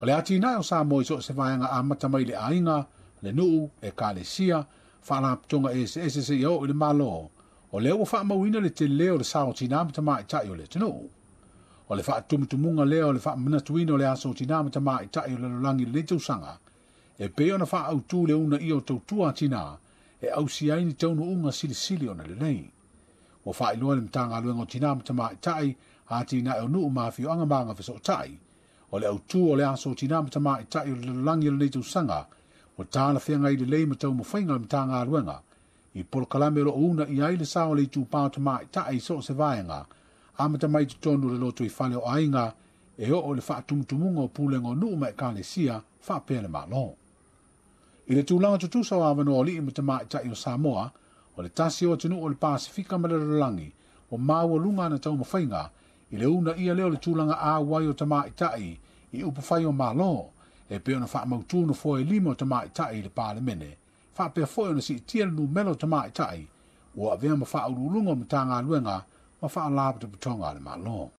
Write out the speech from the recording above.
O le atinae o Samoa i so o se vaega amata mai le aiga, le nuu, ekalesia, faalapotopotoga eseese seia oo i le Malo, o lea ua faamauina le tele o le sao o tinā ma tamaitai o le atunuu. O le faatumutumuga lea o le faamanatuina o le aso o tinā ma tamaitai o le lalolagi i lenei tausaga, e pei ona faaautu le uunaia o tautua a tinā e ausia ai ni taunuuga silisili ona lelei. Ua faailoa e le Matagaluega o Tinā ma Tamaitai, Atinae o Nuu ma Afioaga ma Agafesootai, o le autu o le aso o tinā ma tamaitai o le lalolagi o lenei tausaga, ua talafeagai lelei ma taumafaiga a le Matagaluega i polokalame o lo o uunaia ai le sao o le itupa o tamaitai i so o se vaega, amata mai i totonu o le lotoifale o aiga e oo i le faatumutumuga o pulega o nuu ma ekalesia faapea le Malo. I le tulaga tutusa o avanoa o alii ma tamaitai o Samoa, o le tasi o atunuu o le Pasefika ma le lalolagi ua maualuga ana taumafaiga i le uunaia lea o le tulaga auai o tamaitai i upufai o Malo, e pei ona faamautu nofoa e 5 o tamaitai i le Palemene, faapea foi ona siitia le numera o tamaitai ua avea ma faauluuluga o Matagaluega ma Faalapotopotoga a le Malo.